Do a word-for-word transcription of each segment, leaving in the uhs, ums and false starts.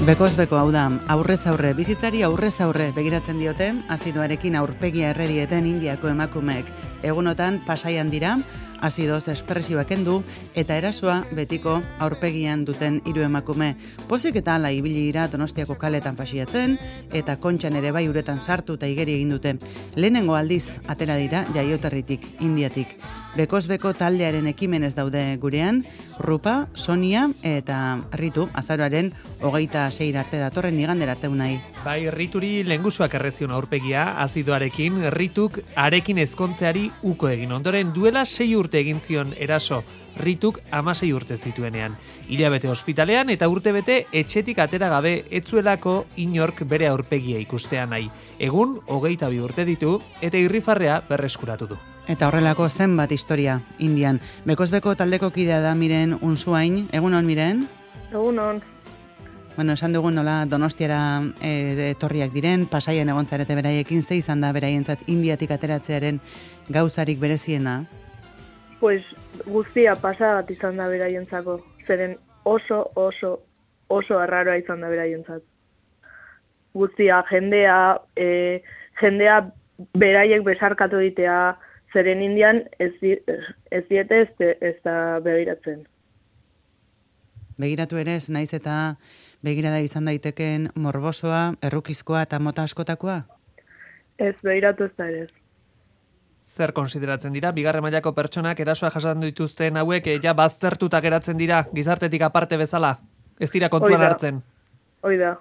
Bekoz beko hau da, aurrez aurre, bizitzari aurrez aurre begiratzen diote, azidoarekin aurpegia errerieten Indiako emakumeek. Egunotan pasaian dira, azidoz espresioak kendu eta erasoa betiko aurpegian duten hiru emakume. Pozik eta ala ibili dira Donostiako kaletan pasiatzen eta Kontxan ere bai uretan sartu eta igeri egin dute. Lehenengo aldiz atera dira jaioterritik, Indiatik. Bekoz beko taldearen ekimenez daude gurean, Rupa, Sonia eta Ritu, azaroaren hogeita sei arte datorren igandera arte unai. Bai, Rituri lehengusuak errezion aurpegia, azidoarekin, Rituk arekin ezkontzeari uko egin. Ondoren duela sei urte egin zion eraso, Rituk amasei urte zituenean. Hilabete ospitalean eta urtebete etxetik atera gabe etzuelako inork bere aurpegia ikustea nahi. Egun, hogeita bi urte ditu eta irrifarrea berreskuratu du. Eta horrelako zenbat historia Indian. Bekozbeko taldeko kidea da Miren Unzuain. Egun hon, Miren? Egun hon. Bueno, esan dugun nola Donostiara e, etorriak diren, pasaian egon zarete beraiekin, ze izan da beraientzat Indiatik ateratzearen gauzarik bereziena? Pues guztia pasadat izan da beraientzako. Zeren oso, oso, oso arraroa izan da beraientzat. Guztia, jendea, e, jendea beraiek besarkatu ditea, zeren Indian ez, ez diete ez, ez da begiratzen. Begiratu ere ez, naiz eta begirada izan daiteken morbosoa, errukizkoa eta mota askotakoa? Ez, begiratu ez da ere ez. Zer konsideratzen dira, bigarren mailako pertsonak erasoa jasan dituzten hauek ja baztertuta geratzen dira, gizartetik aparte bezala? Ez dira kontuan Oida. hartzen? Hoi da.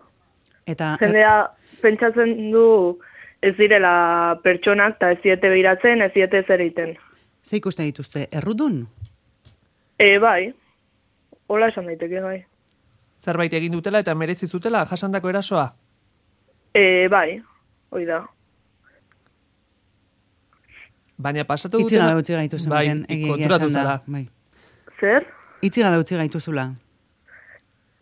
Eta Jendea pentsatzen du ez direla pertsonak eta ez diete begiratzen, ez diete zer egiten. ze ikuste dituzte, errudun? E, bai, hola esan daiteke bai. Zerbait egin dutela eta merezi zutela jasandako erasoa? E, bai, hoi da. Baina pasatu Itzi dutela... gabe utzi gaituzu, bai, Miren, egia konturatu esan da. zara. Bai. Zer? Itzi gabe utzi gaituzula.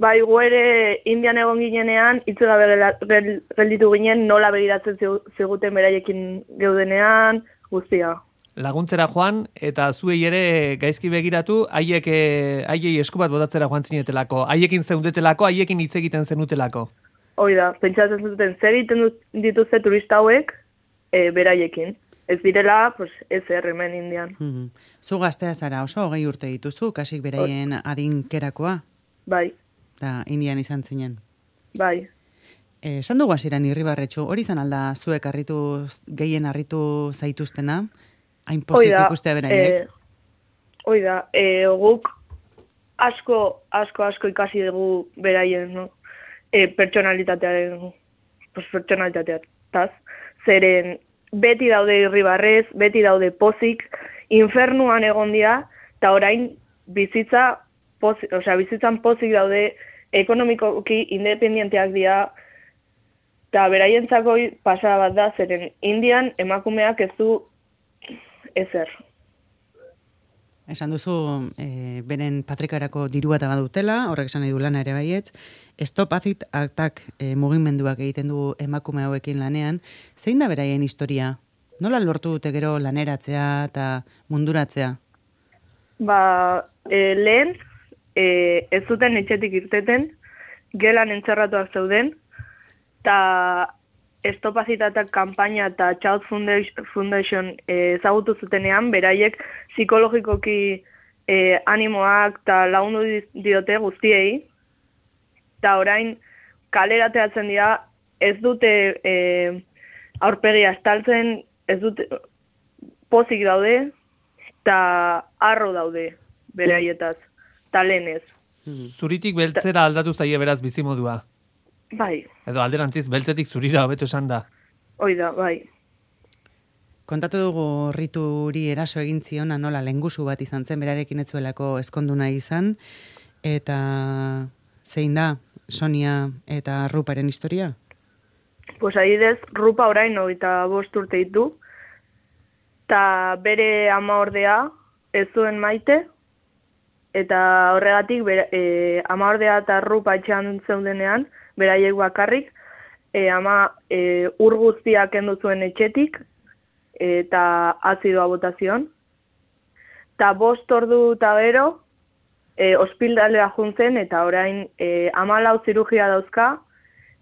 Bai, gu ere Indian egon ginenean, hitz gabe gela- gel- gelditu ginen, nola begiratzen zigu- ziguten beraiekin geudenean, guztia. Laguntzera joan, eta zuei ere gaizki begiratu, haiek eh, haiei esku bat botatzera joan zinetelako, haiekin zeundetelako, haiekin hitz egiten zenutelako. Hoi da, pentsatzen zuten zer egiten dut- dituzte turista hauek e, beraiekin. Ez direla, pues, ez er, hemen Indian. Mhm. Zu gaztea zara oso hogei urte dituzu, kasik beraien adinkerakoa, Bai, da Indian izan zinen. bai. Eh, Esan dugu hasieran Irribarretxu, hori izan alda zuek harritu, gehien harritu zaituztena? Hain Hoi pozik da, ikustea beraiek? eh, hoi da, e, guk asko, asko, asko ikasi dugu beraien, no? E, pertsonalitatearen, pues, pertsonalitateaz, zeren beti daude irribarrez, beti daude pozik, infernuan egon dira, eta orain bizitza, pozik, osea, bizitzan pozik daude, ekonomikoki independienteak dira, eta beraientzako pasada bat da, zeren Indian emakumeak ez du ezer. Esan duzu, e, beren patrikarako dirua eta badutela, horrek esan nahi du lana ere baiet, Stop Acid Attack e, mugimenduak egiten du emakume hauekin lanean, zein da beraien historia? Nola lortu dute gero laneratzea eta munduratzea? Ba, e, lehen, e, ez zuten etxetik irteten, gelan entzerratuak zeuden, eta Stop Acid Attack kanpaina eta Child Foundation, Foundation e, ezagutu zutenean, beraiek psikologikoki e, animoak eta lagundu di- diote guztiei, eta orain kalerateatzen dira, ez dute e, aurpegia estaltzen, ez dute pozik daude, eta arro daude beraietaz, eta lehenez. Zuritik beltzera aldatu zaie beraz bizimodua. Bai, Edo alderantziz beltzetik zurira hobeto esan da. hoi da, bai. Kontatu dugu Rituri eraso egin ziona nola lengusu bat izan zen, berarekin ez zuelako ezkondu nahi izan, eta zein da Sonia eta Ruparen historia? Pues adidez, Rupa orain hogeita bost urte ditu, eta bere ama ordea ez zuen maite, eta horregatik bere, e, ama ordea eta Rupa etxean zeudenean, beraiek bakarrik, e, ama e, ur guztiak kendu zuen etxetik, eta azidoa botazion. Eta bost ordu eta gero, e, ospitaldera juntzen eta orain e, hamalau zirugia dauzka,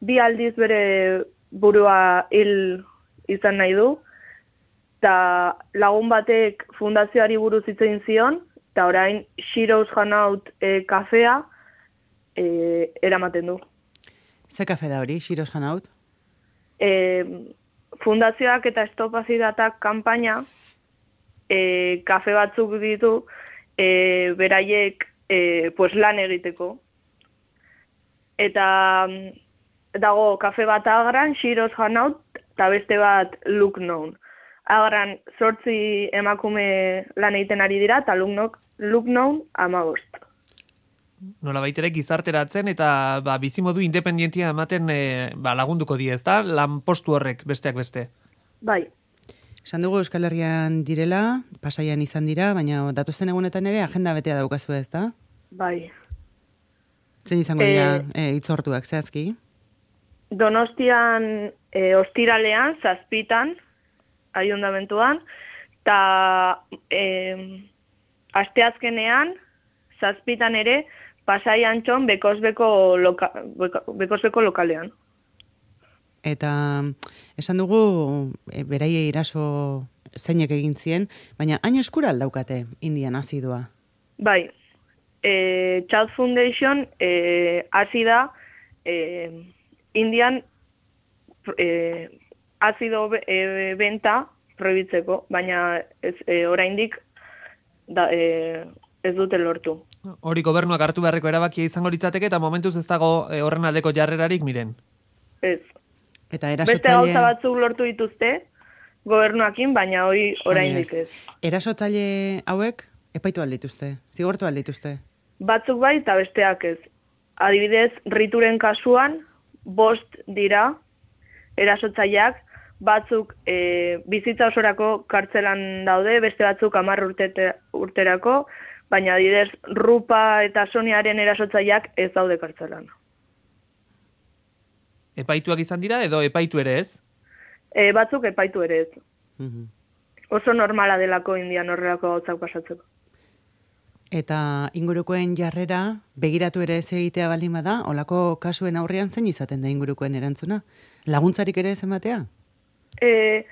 bi aldiz bere burua hil izan nahi du, eta lagun batek fundazioari buruz hitz egin zion, eta orain Shiro's Hanaut e, kafea e, eramaten du. Ze kafe da hori, Shiro's Hanaut? E, fundazioak eta estopazidatak kanpaina e, kafe batzuk ditu e, beraiek e, pues lan egiteko. Eta dago kafe bat Agran, Shiro's Hanaut, eta beste bat Lucknow. Agran zortzi emakume lan egiten ari dira, eta Lucknow hamabost. Nola baitere gizarteratzen eta ba, bizimodu independentia ematen e, ba, lagunduko die, ezta? Lan postu horrek besteak beste. Bai. Esan dugu Euskal Herrian direla, Pasaian izan dira, baina datozen egunetan ere agenda betea daukazu, ezta? Bai. Zein izango dira e, itzortuak, zehazki? Donostian e, ostiralean, zazpitan, aiondamentuan, eta e, asteazkenean, zazpitan ere, Pasai Antxon Bekozbeko, loka, Bekozbeko lokalean. Eta esan dugu e, beraiei eraso zeinek egin zien, baina hain eskura aldaukate Indian azidua? Bai, e, Child Foundation e, azida e, Indian e, azido e, benta prohibitzeko, baina ez, e, oraindik da, e, ez dute lortu. Hori gobernuak hartu beharreko erabakia izango litzateke eta momentuz ez dago e, horren aldeko jarrerarik miren. Ez. Eta erasotzaile... Beste gauza batzuk lortu dituzte gobernuakin, baina hori oraindik ez. Erasotzaile hauek epaitu aldituzte, zigortu aldituzte. Batzuk bai eta besteak ez. Adibidez, Rituren kasuan, bost dira erasotzaileak, batzuk e, bizitza osorako kartzelan daude, beste batzuk hamar urte, urterako, baina adibidez, Rupa eta Soniaren erasotzaileak ez daude kartzelan. Epaituak izan dira edo epaitu ere ez? E, batzuk epaitu ere ez. Mhm. Oso normala delako Indian horrelako gauzak pasatzeko. Eta ingurukoen jarrera, begiratu ere ez egitea baldin bada, olako kasuen aurrean zein izaten da ingurukoen erantzuna? Laguntzarik ere ez ematea? E,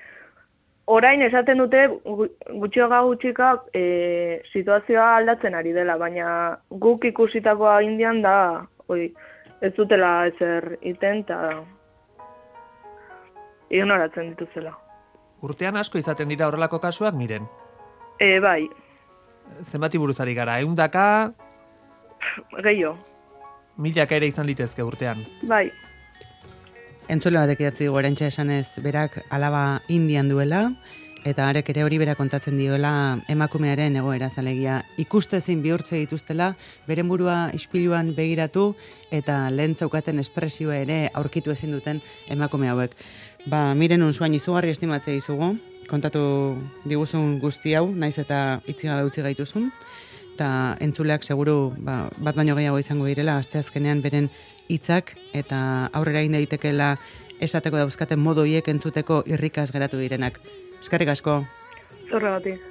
orain esaten dute gutxioga gutxika e, situazioa aldatzen ari dela, baina guk ikusitakoa Indian da, oi, ez dutela ezer iten eta ignoratzen dituzela. Urtean asko izaten dira horrelako kasuak miren? E, bai. Zenbati buruzari gara, eundaka... Gehiago. Milaka ere izan litezke urtean. Bai. Entzule batek idatzi dugu erantxa esanez berak alaba Indian duela, eta arek ere hori bera kontatzen dioela emakumearen egoera zalegia. Ikustezin bihurtze dituztela, beren burua ispiluan begiratu, eta lehen zaukaten espresioa ere aurkitu ezin duten emakume hauek. Ba, miren unzuain izugarri estimatzea izugu, kontatu diguzun guzti hau, naiz eta itzigabe utzi gaituzun, eta entzuleak seguru ba, bat baino gehiago izango direla, asteazkenean beren hitzak eta aurrera egin daitekeela esateko dauzkaten modu hiek entzuteko irrikaz geratu direnak. Eskerrik asko. Zorregatik.